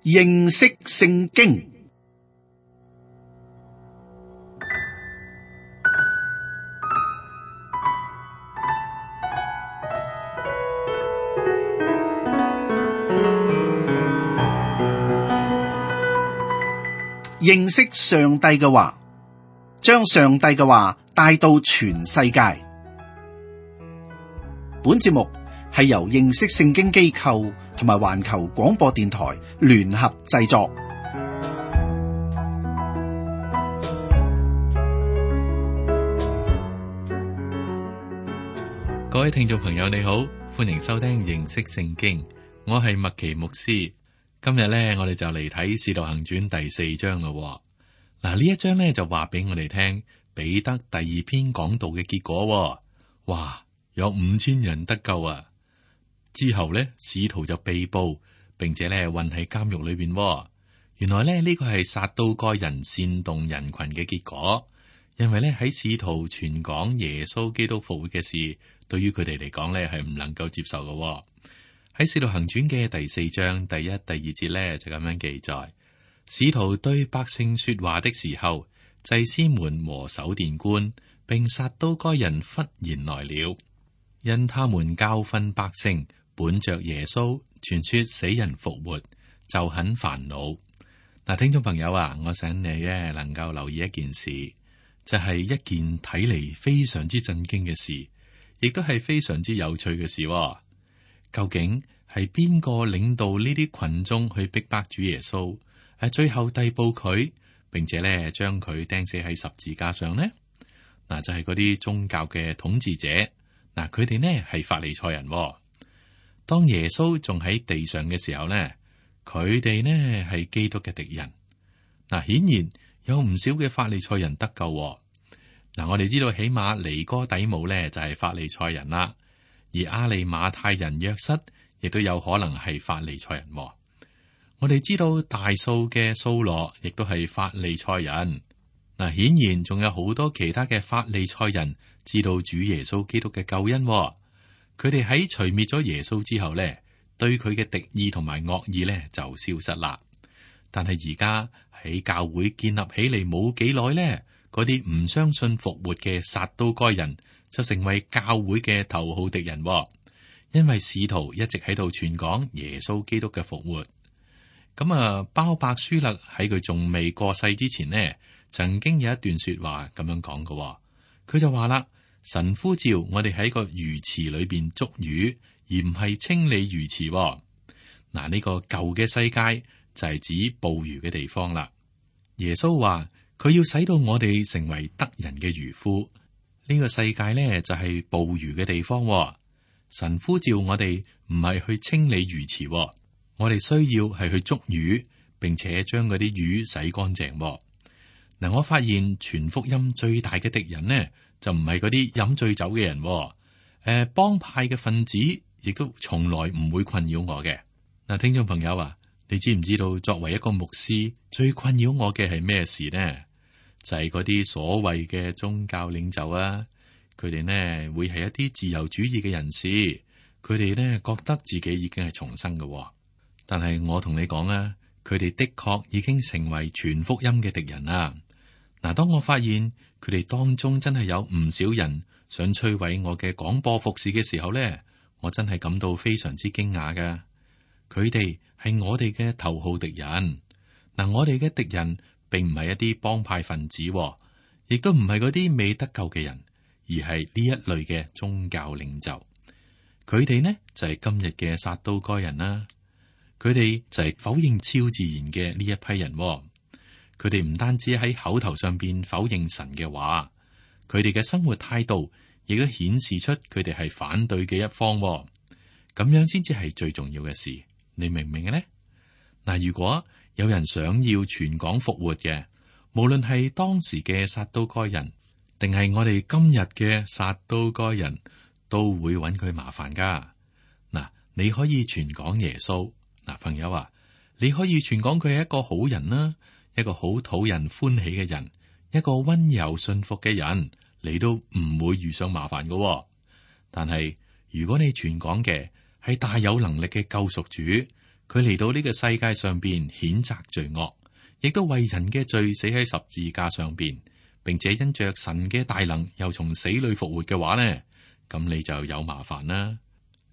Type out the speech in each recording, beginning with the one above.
認識聖經。認識上帝嘅話，將上帝嘅話帶到全世界。本節目係由認識聖經機構同埋環球廣播電台聯合製作。各位聽眾朋友你好，歡迎收聽認識聖經，我係麥奇牧師。今日咧，我哋就嚟睇《使徒行傳》第4章咯。嗱，呢一章咧就話俾我哋聽彼得第2篇講道嘅結果。哇，有5000人得救啊！之後咧，使徒就被捕，並且咧困喺監獄裏邊。原來咧呢個係撒都該人煽動人群嘅結果，因為咧喺使徒傳講耶穌基督復活嘅事，對於佢哋嚟講咧係唔能夠接受嘅。喺《使徒行傳》嘅第4章第1、第2節咧就咁樣記載：使徒對百姓說話的時候，祭司們和守殿官並撒都該人忽然來了，因他們教訓百姓，本着耶穌傳說死人復活，就很煩惱。嗱，聽眾朋友啊，我想你咧能夠留意一件事，就係一件睇嚟非常之震驚嘅事，亦都係非常之有趣嘅事。究竟係邊個領導呢啲群眾去逼迫主耶穌？最後逮捕佢，並且咧將佢釘死喺十字架上呢？嗱，就係嗰啲宗教嘅統治者。嗱，佢哋呢係法利賽人。當耶穌仲喺地上嘅時候呢，佢哋呢係基督嘅敵人。嗱，顯然有唔少嘅法利賽人得救。嗱，我哋知道起碼尼哥底母呢就係法利賽人啦。而亞利馬太人約瑟亦都有可能係法利賽人。我哋知道大數嘅掃羅亦都係法利賽人。嗱，顯然仲有好多其他嘅法利賽人知道主耶穌基督嘅救恩。佢哋喺除滅咗耶穌之後呢，對佢嘅敵意同埋惡意呢就消失啦。但係而家喺教會建立起嚟冇幾耐呢，嗰啲唔相信復活嘅撒都該人就成為教會嘅頭號敵人。因為使徒一直喺度傳講耶穌基督嘅復活。咁鮑伯舒勒喺佢仲未過世之前呢，曾經有一段說話咁樣講嘅。佢就話啦：神呼召我哋喺個魚池裏邊捉魚，而唔係清理魚池。嗱，呢個舊嘅世界就係指捕魚嘅地方啦。耶穌話佢要使到我哋成為得人嘅漁夫。呢個世界呢，就係捕魚嘅地方。神呼召我哋唔係去清理魚池，我哋需要係去捉魚，並且將嗰啲魚洗乾淨。嗱，我發現傳福音最大嘅敵人呢，就唔係嗰啲飲醉酒嘅人。幫派嘅分子亦都從來唔會困擾我嘅。嗱，聽眾朋友啊，你知唔知道作為一個牧師最困擾我嘅係咩事呢？就係嗰啲所謂嘅宗教領袖啊，佢哋呢會係一啲自由主義嘅人士，佢哋呢覺得自己已經係重生嘅。但係我同你講啊，佢哋的確已經成為傳福音嘅敵人啦。嗱，當我發現佢哋當中真係有唔少人想摧毀我嘅廣播服侍嘅時候呢，我真係感到非常之驚訝㗎。佢哋係我哋嘅頭號敵人。嗱，我哋嘅敵人並唔係一啲幫派分子，亦都唔係嗰啲未得救嘅人，而係呢一類嘅宗教領袖。佢哋呢就係今日嘅撒都該人啦。佢哋就係否認超自然嘅呢一批人。佢哋唔單止喺口頭上邊否認神嘅話，佢哋嘅生活態度亦都顯示出佢哋係反對嘅一方。咁樣先至係最重要嘅事。你明唔明嘅呢？嗱，如果有人想要傳講復活嘅，無論係當時嘅撒都該人，定係我哋今日嘅撒都該人，都會揾佢麻煩噶。嗱，你可以傳講耶穌。嗱，朋友啊，你可以傳講佢係一個好人啦，一個好討人歡喜嘅人，一個溫柔信服嘅人，你都唔會遇上麻煩噶。但係如果你傳講嘅係大有能力嘅救贖主，佢嚟到呢個世界上邊譴責罪惡，亦都為人嘅罪死喺十字架上邊，並且因着神嘅大能又從死裏復活嘅話呢，咁你就有麻煩啦。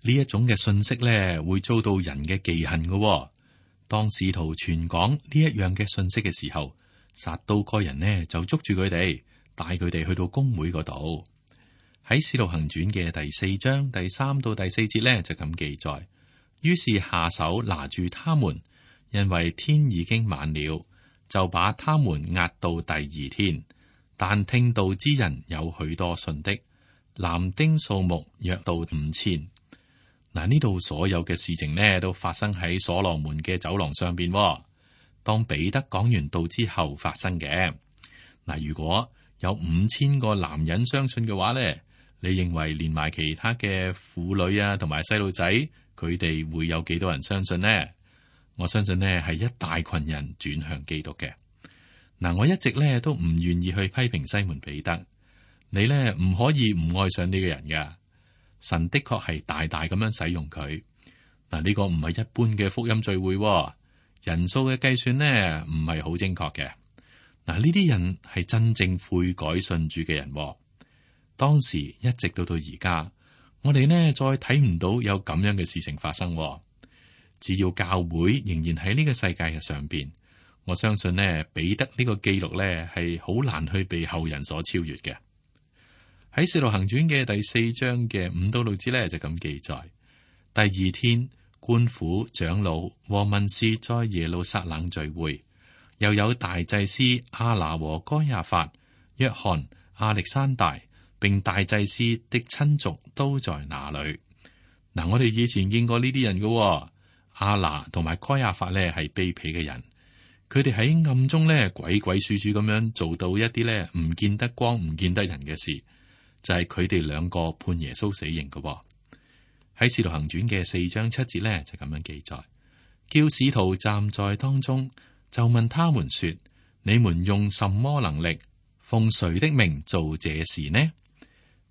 呢一種嘅信息呢，會遭到人嘅忌恨嘅。當使徒傳講呢一樣嘅信息嘅時候，撒都該人呢就捉住佢哋，帶佢哋去到公會嗰度。喺使徒行傳嘅第4章第3到第4節呢，就咁記載。於是下手拿住他們，因為天已經晚了，就把他們押到第2天。但聽道之人有許多信的，男丁數目約到5000。嗱，呢度所有嘅事情呢，都發生喺所羅門嘅走廊上邊。當彼得講完道之後發生嘅。嗱，如果有5000個男人相信嘅話呢，你認為連埋其他嘅婦女啊，同埋細路仔，佢哋會有幾多人相信呢？我相信呢係一大群人轉向基督嘅。嗱，我一直呢都唔願意去批評西門彼得，你呢唔可以唔愛上呢個人噶。神的確係大大咁樣使用佢。嗱，呢個唔係一般嘅福音聚會，人數嘅計算呢唔係好精確嘅。嗱，呢啲人係真正悔改信主嘅人。當時一直到而家，我哋呢再睇唔到有咁樣嘅事情發生。只要教會仍然喺呢個世界嘅上邊，我相信呢彼得呢個記錄呢係好難去被後人所超越嘅。喺《使徒行傳》嘅第4章嘅5到6節呢，就咁記載。第2天，官府長老和文士在耶路撒冷聚會，又有大祭司亞拿和該亞法、約翰、亞歷山大，並大祭司的親族都在那裏。嗱，我哋以前見過呢啲人嘅。亞拿同埋該亞法咧係卑鄙嘅人，佢哋喺暗中咧鬼鬼祟祟咁樣做到一啲咧唔見得光、唔見得人嘅事，就係佢哋兩個判耶穌死刑嘅。喺《使徒行傳》嘅4章7節咧就咁樣記載，叫使徒站在當中，就問他們說：你們用什麼能力，奉誰的名做這事呢？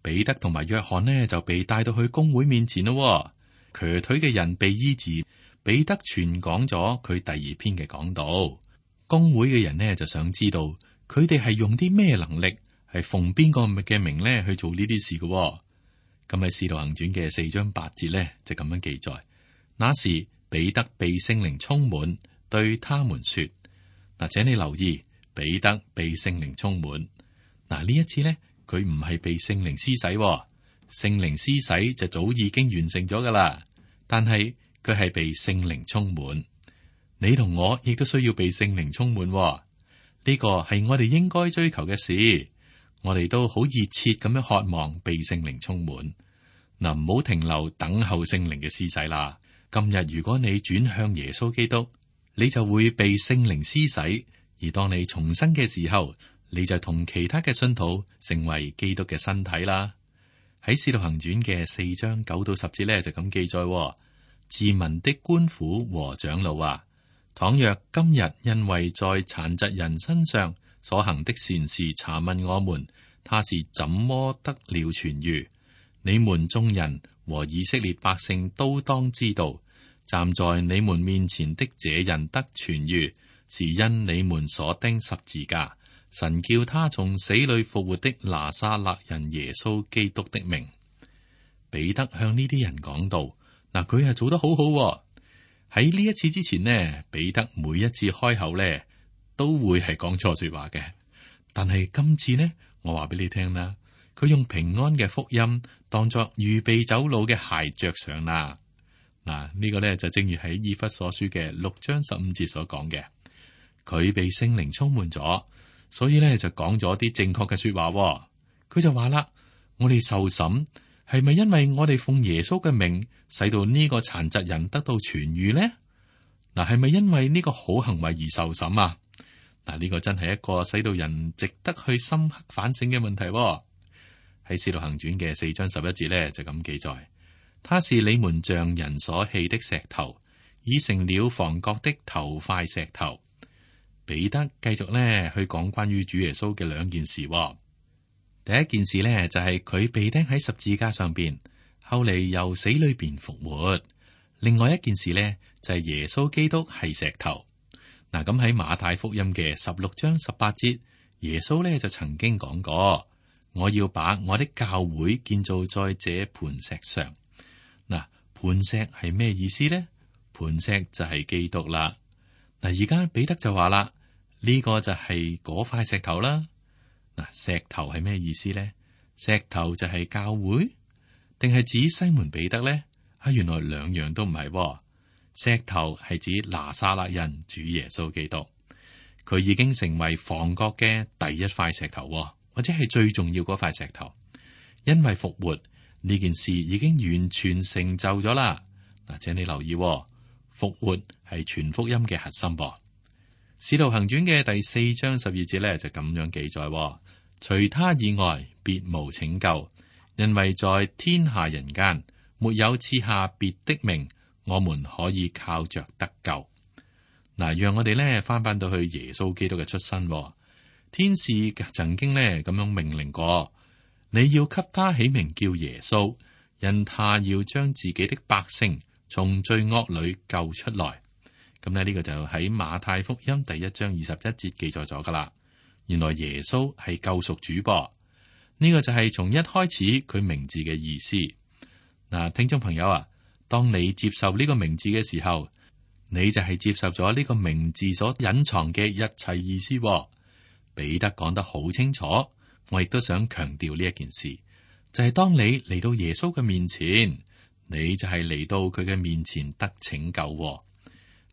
彼得同埋約翰呢就被帶到去公會面前咯，瘸腿嘅人被醫治。彼得傳講咗佢第2篇嘅講道，公會嘅人呢就想知道佢哋係用啲咩能力，係奉邊個嘅名呢去做呢啲事嘅。咁喺《使徒行傳》嘅4章8節呢就咁樣記載。那時彼得被聖靈充滿，對他們說：嗱，請你留意，彼得被聖靈充滿。嗱，呢一次呢，佢唔係被聖靈施洗，聖靈施洗就早已經完成咗噶啦，但係佢係被聖靈充滿。你同我亦都需要被聖靈充滿，呢個係我哋應該追求嘅事。我哋都好熱切咁樣渴望被聖靈充滿。嗱，唔好停留等候聖靈嘅施洗啦。今日如果你轉向耶穌基督，你就會被聖靈施洗，而當你重生嘅時候，你就同其他嘅信徒成為基督嘅身體啦。喺《使徒行傳》嘅4章9到10節咧就咁記載。治民的官府和長老啊，倘若今日因為在殘疾人身上所行的善事查問我們，他是怎麼得了痊愈？你們眾人和以色列百姓都當知道，站在你們面前的這人得痊愈，是因你們所釘十字架，神叫他從死裏復活的拿撒勒人耶穌基督的名。彼得向呢啲人講道。嗱，佢係做得好好。喺呢一次之前呢，彼得每一次開口呢都會係講錯說話嘅。但係今次呢，我話俾你聽啦，佢用平安嘅福音當作預備走路嘅鞋着上啦。嗱，呢個呢就正如喺以弗所書嘅6章15節所講嘅，佢被聖靈充滿咗，所以呢就講咗啲正確嘅說話。佢就話啦，我哋受審係咪因為我哋奉耶穌嘅名，使到呢個殘疾人得到痊愈呢？嗱，係咪因為呢個好行為而受審啊？嗱，呢個真係一個使到人值得去深刻反省嘅問題。喺《使徒行傳》嘅4章11節咧就咁記載，他是你們匠人所棄的石頭，已成了房角的頭塊石頭。彼得繼續咧去講關於主耶穌嘅2件事。第一件事呢，就係佢被釘喺十字架上邊，後嚟由死裏邊復活。另外一件事呢，就係耶穌基督係石頭。嗱，咁喺馬太福音嘅16章18節，耶穌咧就曾經講過：我要把我的教會建造在這磐石上。嗱，磐石係咩意思呢？磐石就係基督啦。嗱，而家彼得就話啦，呢個就係嗰塊石頭啦。嗱，石頭係咩意思呢？石頭就係教會，定係指西門彼得呢？原來兩樣都唔係。石頭係指拿撒勒人主耶穌基督，佢已經成為房角嘅第一塊石頭，或者係最重要嗰塊石頭。因為復活呢件事已經完全成就咗啦。嗱，請你留意，復活係全福音嘅核心。使徒行傳嘅第4章12節咧就咁樣記載：除他以外，別無拯救，因為在天下人間沒有賜下別的名，我們可以靠着得救。嗱，讓我哋咧翻到去耶穌基督嘅出身。天使曾經咧咁樣命令過，你要給他起名叫耶穌，因他要將自己的百姓從罪惡裏救出來。咁呢個就喺馬太福音第1章21節記載咗噶啦。原來耶穌係救贖主噃，呢個就係從一開始佢名字嘅意思。嗱，聽眾朋友啊，當你接受呢個名字嘅時候，你就係接受咗呢個名字所隱藏嘅一切意思。彼得講得好清楚，我亦都想強調呢一件事，就係當你嚟到耶穌嘅面前，你就係嚟到佢嘅面前得拯救。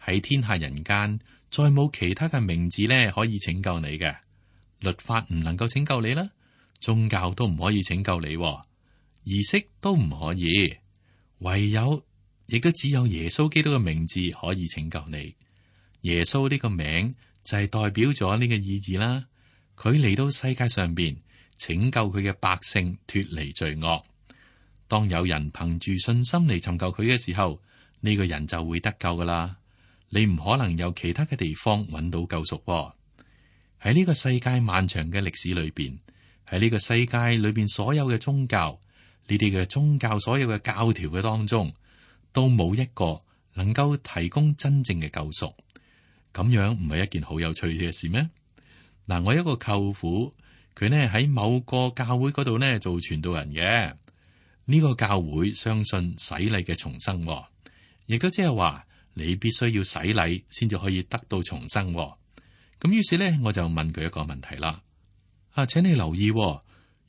喺天下人間，再冇其他嘅名字咧可以拯救你嘅。律法唔能夠拯救你啦，宗教都唔可以拯救你，儀式都唔可以，唯有亦都只有耶穌基督嘅名字可以拯救你。耶穌呢個名就係代表咗呢個意義啦。佢嚟到世界上邊拯救佢嘅百姓脫離罪惡。當有人憑住信心嚟尋求佢嘅時候，呢個人就會得救噶啦。你唔可能有其他嘅地方揾到救贖。喺呢個世界漫長嘅歷史裏邊，喺呢個世界裏邊所有嘅宗教，呢啲嘅宗教所有嘅教條嘅當中，都冇一個能夠提供真正嘅救贖。咁樣唔係一件好有趣嘅事咩？嗱，我一個舅父，佢呢喺某個教會嗰度呢做傳道人嘅。呢個教會相信洗禮嘅重生，亦都即係話你必須要洗禮先至可以得到重生。咁於是呢，我就問佢一個問題啦。請你留意，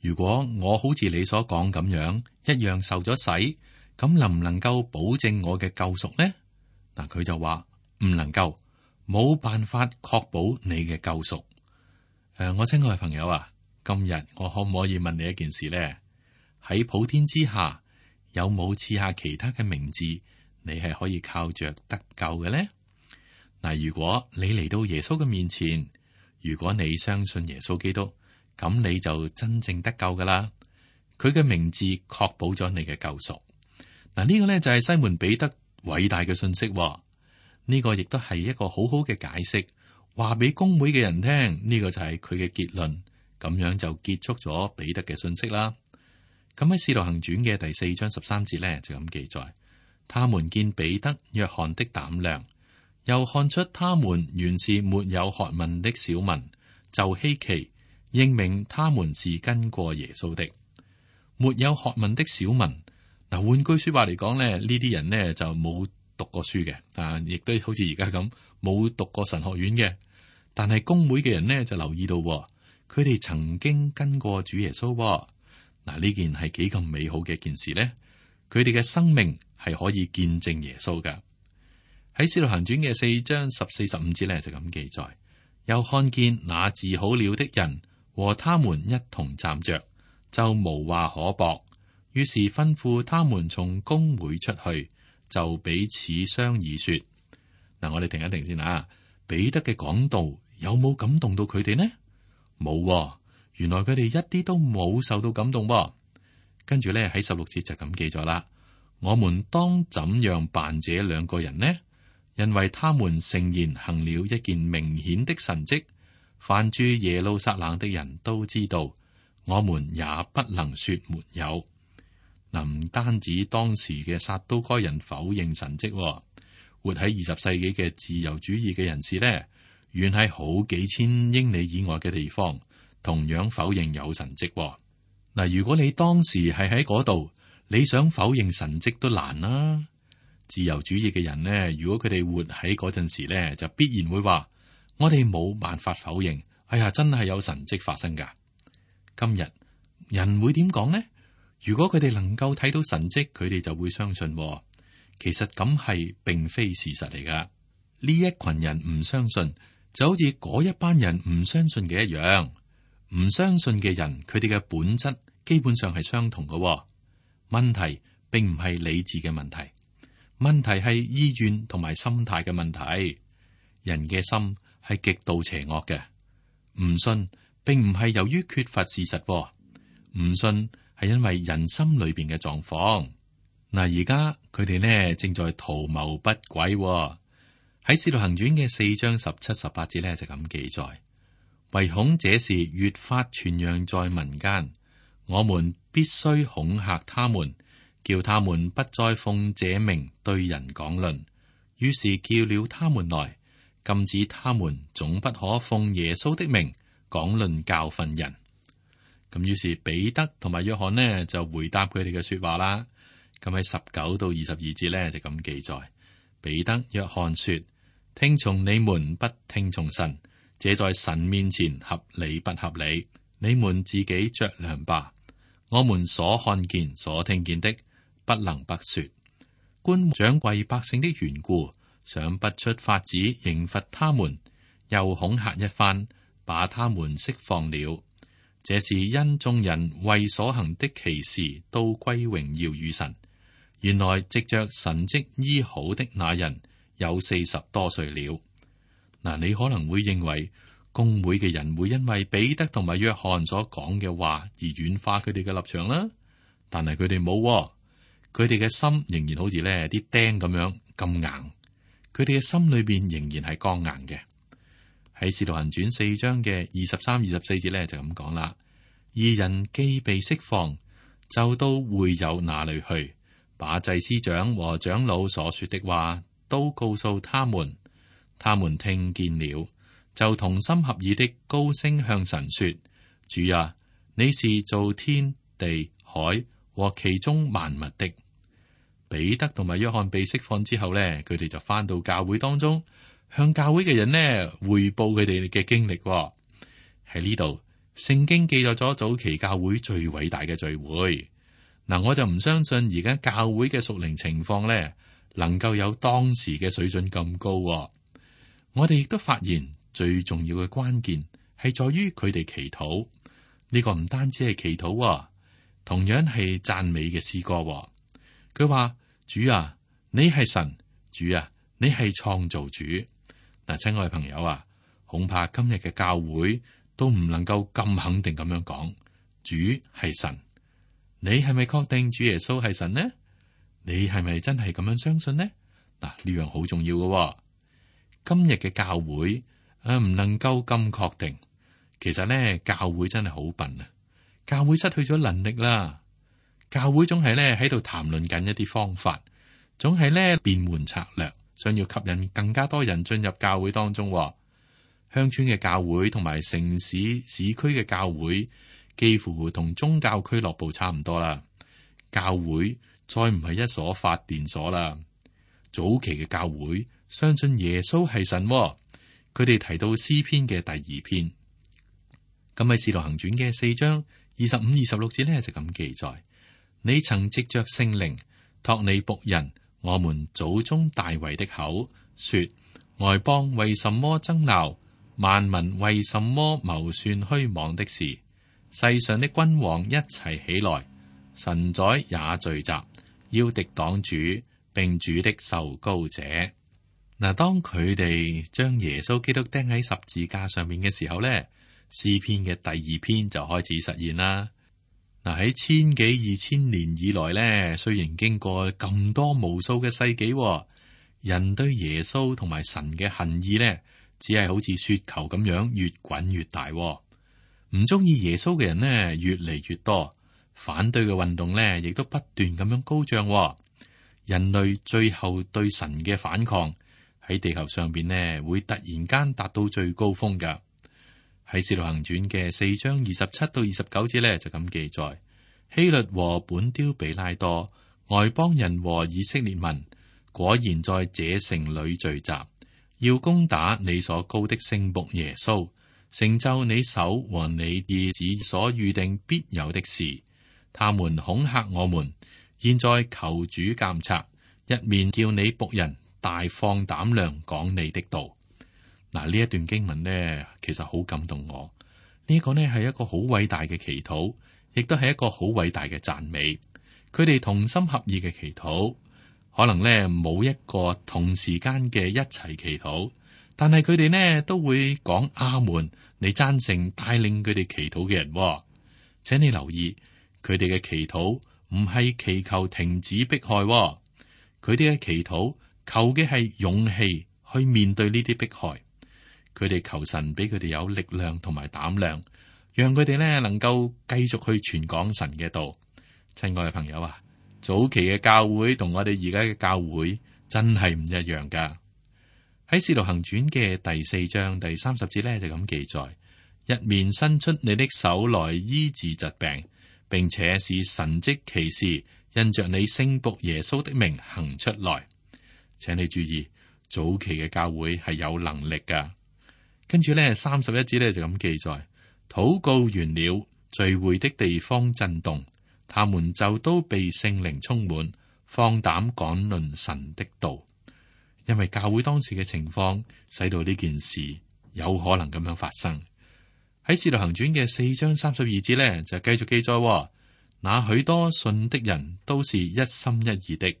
如果我好似你所講咁樣一樣受咗洗，咁能唔能夠保證我嘅救贖呢？嗱，佢就話唔能夠，冇辦法確保你嘅救贖。我親愛嘅朋友啊，今日我可唔可以問你一件事呢？喺普天之下，有冇賜下其他嘅名字，你係可以靠着得救嘅呢？嗱，如果你嚟到耶穌嘅面前，如果你相信耶穌基督，咁你就真正得救噶啦。佢嘅名字確保咗你嘅救贖。嗱，呢個呢就係西門彼得偉大嘅信息。呢個亦都係一個好好嘅解釋。話俾公會嘅人聽，呢個就係佢嘅結論，咁樣就結束咗彼得嘅信息啦。咁喺《使徒行傳》嘅第4章13節呢，就咁記載：他們見彼得、約翰的膽量，又看出他們原是沒有學問的小民，就稀奇，認明他們是跟過耶穌的。沒有學問的小民，嗱，換句說話嚟講咧，呢啲人呢就冇讀過書嘅，亦都好似而家咁冇讀過神學院嘅。但係公會嘅人呢，就留意到，佢哋曾經跟過主耶穌。嗱，呢件係幾咁美好嘅一件事呢？佢哋嘅生命係可以見證耶穌噶。喺使徒行傳嘅4章14、15節呢，就咁記載：又看見那治好了的人和他們一同站着，就無話可駁。於是吩咐他們從公會出去，就彼此商議說：嗱，我哋停一停先啊！彼得嘅講道有冇感動到佢哋呢？冇，原來佢哋一啲都冇受到感動。跟住咧喺16節就咁記咗啦。我們當怎樣辦這兩個人呢？因為他們誠然行了一件明顯的神蹟，凡住耶路撒冷的人都知道，我們也不能說沒有。嗱，唔單止當時嘅撒都該人否認神蹟，活喺20世紀嘅自由主義嘅人士呢，遠喺好幾千英里以外嘅地方，同樣否認有神蹟嗱。如果你當時係喺嗰度，你想否認神蹟都難啦。自由主義嘅人呢，如果佢哋活喺嗰陣時呢，就必然會話：我哋冇辦法否認。哎呀，真係有神蹟發生噶。今日人會點講呢？如果佢哋能夠睇到神蹟，佢哋就會相信。其實咁係並非事實嚟噶。呢一群人唔相信，就好似嗰一班人唔相信嘅一樣。唔相信嘅人，佢哋嘅本質基本上係相同嘅。問題並唔係理智嘅問題，問題係意願同埋心態嘅問題。人嘅心係極度邪惡嘅。唔信並唔係由於缺乏事實，唔信係因為人心裏邊嘅狀況。嗱，而家佢哋呢正在圖謀不軌。喺《使徒行傳》嘅4章17、18節呢就咁記載：唯恐這事越發傳揚在民間，我們必須恐嚇他們，叫他們不再奉這名對人講論。於是叫了他們來，禁止他們總不可奉耶穌的名講論教訓人。咁於是彼得同埋約翰呢就回答佢哋嘅說話啦。咁喺19到22節呢就咁記載：彼得、約翰說，聽從你們不聽從神，這在神面前合理不合理？你們自己酌量吧。我們所看見、所聽見的，不能不說。官長為百姓的緣故，想不出法子刑罰他們，又恐嚇一番，把他們釋放了。這是因眾人為所行的奇事都歸榮耀與神。原來藉着神蹟醫好的那人有40多歲了。嗱，你可能會認為公會嘅人會因為彼得同埋約翰所講嘅話而軟化佢哋嘅立場啦，但係佢哋冇，佢哋嘅心仍然好似呢啲釘咁樣咁硬，佢哋嘅心裏邊仍然係剛硬嘅。喺《使徒行傳》4章嘅23、24節呢，就咁講啦：義人既被釋放，就到會友那裏去，把祭司長和長老所說的話都告訴他們。他們聽見了，就同心合意的高聲向神說：主啊，你是造天地海和其中萬物的。彼得同埋約翰被釋放之後呢，佢哋就翻到教會當中，向教會嘅人呢匯報佢哋嘅經歷。喺呢度，聖經記載咗早期教會最偉大嘅聚會。嗱，我就唔相信而家教會嘅屬靈情況呢，能夠有當時嘅水準咁高。我哋亦都發現最重要嘅關鍵係在於佢哋祈禱。呢個唔單止係祈禱，同樣係讚美嘅詩歌。佢話：主啊，你係神；主啊，你係創造主。嗱，親愛嘅朋友啊，恐怕今日嘅教會都唔能夠咁肯定咁樣講，主係神。你係咪確定主耶穌係神呢？你係咪真係咁樣相信呢？嗱，呢樣好重要嘅。今日嘅教會唔能夠咁確定。其實呢，教會真係好笨啊！教會失去咗能力啦。教會總係呢喺度談論緊一啲方法，總係呢變換策略，想要吸引更加多人進入教會當中。鄉村嘅教會同埋城市市區嘅教會，幾乎同宗教俱樂部差唔多啦。教會再唔係一所發電所啦。早期嘅教會相信耶穌係神，佢哋提到詩篇嘅第2篇。咁喺《使徒行傳》嘅4章25、26節呢，就咁記載：你曾藉着聖靈託你僕人我們祖宗大衛的口說，外邦為什麼爭鬧，萬民為什麼謀算虛妄的事？世上的君王一齊起來，神宰也聚集，要敵擋主並主的受膏者。嗱，當佢哋將耶穌基督釘喺十字架上面嘅時候呢，詩篇嘅第2篇就開始實現啦。嗱，喺千幾2000年以來呢，雖然經過咁多無數嘅世紀，人對耶穌同埋神嘅恨意呢，只係好似雪球咁樣越滾越大。唔中意耶穌嘅人呢，越嚟越多，反對嘅運動呢，亦都不斷咁樣高漲。人類最後對神嘅反抗喺地球上邊呢，會突然間達到最高峰噶。喺《使徒行傳》嘅4章27到29節呢，就咁記載：希律和本丟彼拉多、外邦人和以色列民，果然在這城裏聚集，要攻打你所膏的聖僕耶穌，成就你手和你兒子所預定必有的事。他們恐嚇我們，現在求主監察，一面叫你僕人大放膽量講你的道。嗱，呢一段經文呢，其實好感動我。呢個呢係一個好偉大嘅祈禱，亦都係一個好偉大嘅讚美。佢哋同心合意嘅祈禱，可能呢冇一個同時間嘅一齊祈禱，但係佢哋呢都會講阿門，你贊成帶領佢哋祈禱嘅人。請你留意，佢哋嘅祈禱唔係祈求停止迫害，佢哋嘅祈禱求嘅係勇氣去面對呢啲迫害。佢哋求神俾佢哋有力量同埋膽量，讓佢哋呢能夠繼續去傳講神嘅道。親愛嘅朋友啊，早期嘅教會同我哋而家嘅教會真係唔一樣噶。喺《使徒行傳》嘅第4章第30節呢，就咁記載：一面伸出你的手來醫治疾病，並且使神蹟奇事因着你聖僕耶穌的名行出來。請你注意，早期嘅教會係有能力噶。跟住呢31節呢，就咁記載：禱告完了，聚會的地方震動，他們就都被聖靈充滿，放膽講論神的道。因為教會當時嘅情況，使到呢件事有可能咁樣發生。喺《使徒行傳》嘅4章32節呢，就繼續記載：那許多信的人都是一心一意的，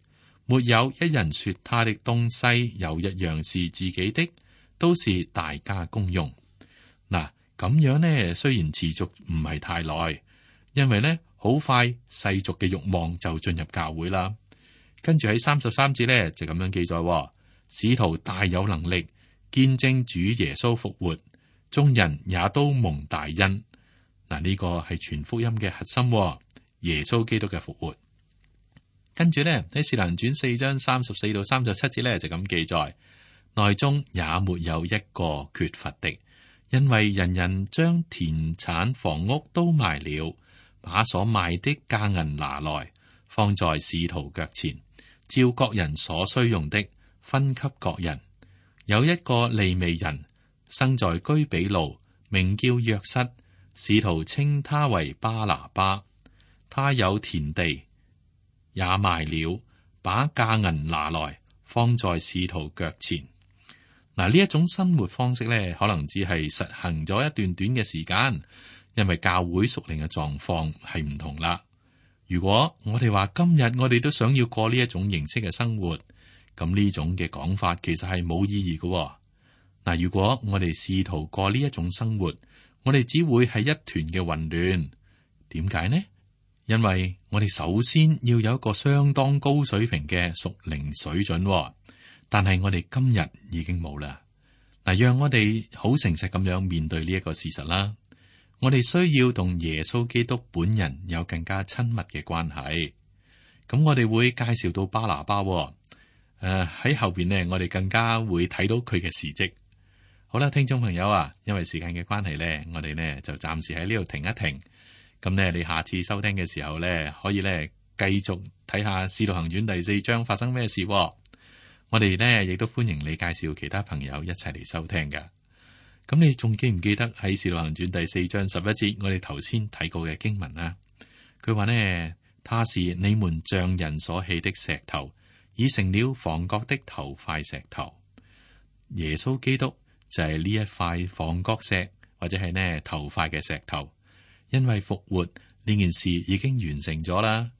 沒有一人說他的東西有一樣是自己的，都是大家公用。嗱，咁樣呢，雖然持續唔係太耐，因為呢好快世俗嘅慾望就進入教會啦。跟住喺33節呢，就咁樣記載：使徒大有能力見證主耶穌復活，眾人也都蒙大恩。嗱，呢個係全福音嘅核心，耶穌基督嘅復活。跟住呢，喺《使徒行傳》4章34到37節呢，就咁記載：內中也沒有一個缺乏的，因為人人將田產房屋都賣了，把所賣的價銀拿來，放在使徒腳前，照各人所需用的分給各人。有一個利未人生在居比路，名叫約瑟，使徒稱他為巴拿巴。他有田地，也賣了，把價銀拿來，放在使徒腳前。嗱，呢一種生活方式咧，可能只係實行咗一段短嘅時間，因為教會屬靈嘅狀況係唔同啦。如果我哋話今日我哋都想要過呢一種形式嘅生活，咁呢種嘅講法其實係冇意義嘅。嗱，如果我哋試圖過呢一種生活，我哋只會係一團嘅混亂。點解呢？因為我哋首先要有一個相當高水平嘅屬靈水準，但係我哋今日已經冇啦。嗱，讓我哋好誠實咁樣面對呢一個事實啦。我哋需要同耶穌基督本人有更加親密嘅關係。咁我哋會介紹到巴拿巴，喺後邊呢，我哋更加會睇到佢嘅事蹟。好啦，聽眾朋友啊，因為時間嘅關係呢，我哋呢就暫時喺呢度停一停。咁呢，你下次收聽嘅時候呢，可以呢繼續睇下《使徒行傳》第4章發生咩事。我哋呢亦都歡迎你介紹其他朋友一齊嚟收聽噶。咁你仲記唔記得喺《使徒行傳》第4章11節，我哋頭先睇過嘅經文啊？佢話呢，他是你們匠人所棄的石頭，已成了房角的頭塊石頭。耶穌基督就係呢一塊房角石，或者係呢頭塊嘅石頭。因為復活呢件事已經完成咗啦。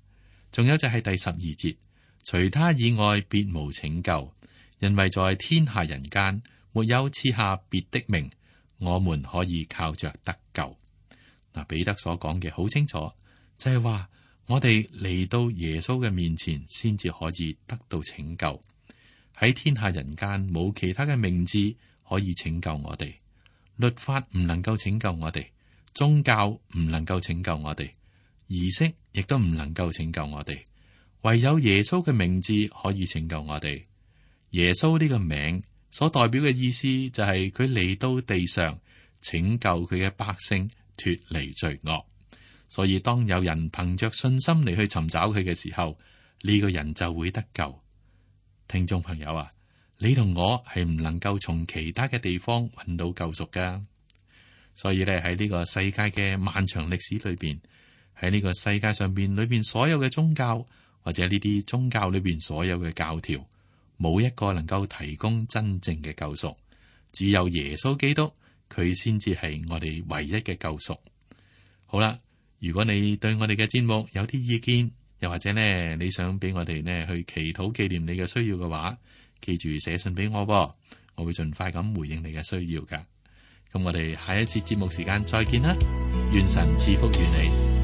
仲有就係第12節，除他以外別無拯救，因為在天下人間沒有賜下別的名，我們可以靠着得救。嗱，彼得所講嘅好清楚，就係話我哋嚟到耶穌嘅面前，先至可以得到拯救。喺天下人間冇其他嘅名字可以拯救我哋，律法唔能夠拯救我哋。宗教唔能夠拯救我哋，儀式亦都唔能夠拯救我哋，唯有耶穌嘅名字可以拯救我哋。耶穌呢個名所代表嘅意思就係佢嚟到地上拯救佢嘅百姓脫離罪惡。所以當有人憑着信心嚟去尋找佢嘅時候，呢個人就會得救。聽眾朋友啊，你同我係唔能夠從其他嘅地方揾到救贖噶。所以咧，喺呢個世界嘅漫長歷史裏邊，喺呢個世界上邊裏邊所有嘅宗教，或者呢啲宗教裏邊所有嘅教條，冇一個能夠提供真正嘅救贖，只有耶穌基督，佢先至係我哋唯一嘅救贖。好啦，如果你對我哋嘅節目有啲意見，又或者呢你想俾我哋呢去祈禱紀念你嘅需要嘅話，記住寫信俾我，我會盡快咁回應你嘅需要噶。咁我哋下一次節目時間再見啦，願神賜福於你。